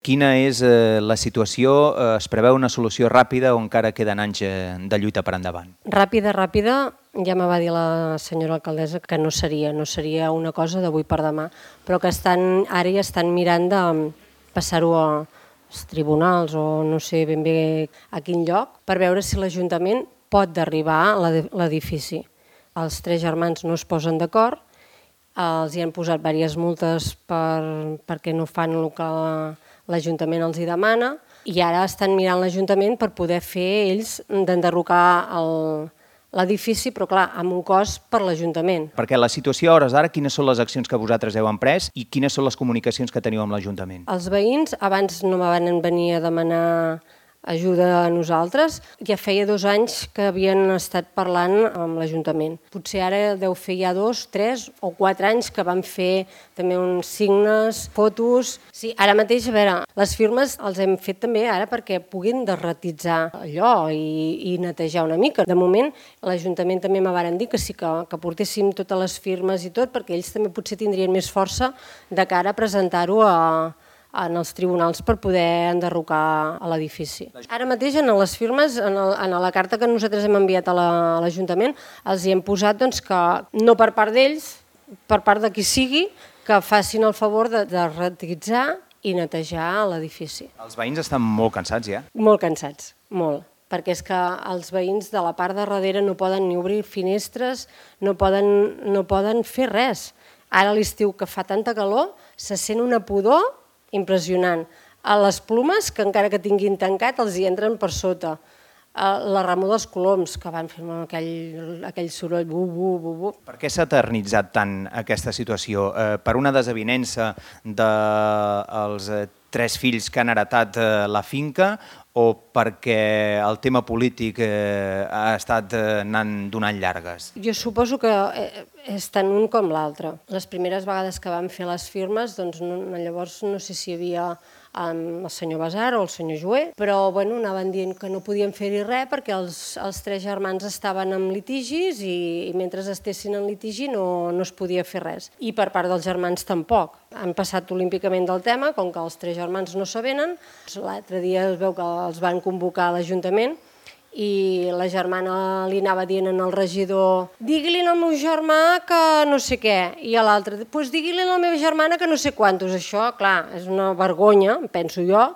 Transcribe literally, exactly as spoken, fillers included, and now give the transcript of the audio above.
Quina és eh, la situació? Eh, es preveu una solució ràpida o encara queden anys eh, de lluita per endavant? Ràpida, ràpida, ja me va dir la senyora alcaldessa que no seria, no seria una cosa d'avui per demà, però que estan, ara ja estan mirant de passar-ho als tribunals o no sé ben bé a quin lloc, per veure si l'Ajuntament pot derribar l'edifici. Els tres germans no es posen d'acord, els hi han posat diverses multes per, perquè no fan el que l'Ajuntament els hi demana i ara estan mirant l'Ajuntament per poder fer ells d'enderrocar l'edifici, però clar, amb un cost per l'Ajuntament. Perquè la situació a hores d'ara, quines són les accions que vosaltres heu emprès i quines són les comunicacions que teniu amb l'Ajuntament? Els veïns abans no me van venir a demanar ajuda a nosaltres. Ja feia dos anys que havien estat parlant amb l'Ajuntament. Potser ara deu fer ja dos, tres o quatre anys que van fer també uns signes, fotos. Sí, ara mateix, a veure, les firmes els hem fet també ara perquè puguin derratitzar allò i, i netejar una mica. De moment, l'Ajuntament també me varen dir que sí que, que portéssim totes les firmes i tot, perquè ells també potser tindrien més força de cara a presentar-ho a en els tribunals per poder enderrocar l'edifici. Ara mateix en les firmes, en, el, en la carta que nosaltres hem enviat a l'Ajuntament, els hi hem posat doncs, que no per part d'ells, per part de qui sigui, que facin el favor de, de ratitzar i netejar l'edifici. Els veïns estan molt cansats ja? Molt cansats, molt. Perquè és que els veïns de la part de darrere no poden ni obrir finestres, no poden, no poden fer res. Ara a l'estiu que fa tanta calor, se sent una pudor impressionant. A les plomes, que encara que tinguin tancat, els hi entren per sota. La remor dels coloms, que van fer aquell, aquell soroll, bu, bu, bu, bu. Per què s'ha eternitzat tant aquesta situació? Eh, per una desavinença dels eh, tres fills que han heretat eh, la finca o perquè el tema polític eh, ha estat eh, anant donant llargues? Jo suposo que és tant un com l'altre. Les primeres vegades que vam fer les firmes, doncs no, llavors no sé si hi havia el senyor Basar o el senyor Joé, però bueno, anaven dient que no podien fer-hi res perquè els, els tres germans estaven en litigis i, i mentre estessin en litigi no, no es podia fer res. I per part dels germans tampoc. Han passat olímpicament del tema, com que els tres germans no s'avenen. L'altre dia es veu que els van convocar a l'Ajuntament i la germana li anava dient al regidor digui-li al meu germà que no sé què, i a l'altre, doncs digui-li a la meva germana que no sé quantos. Això, clar, és una vergonya, penso jo,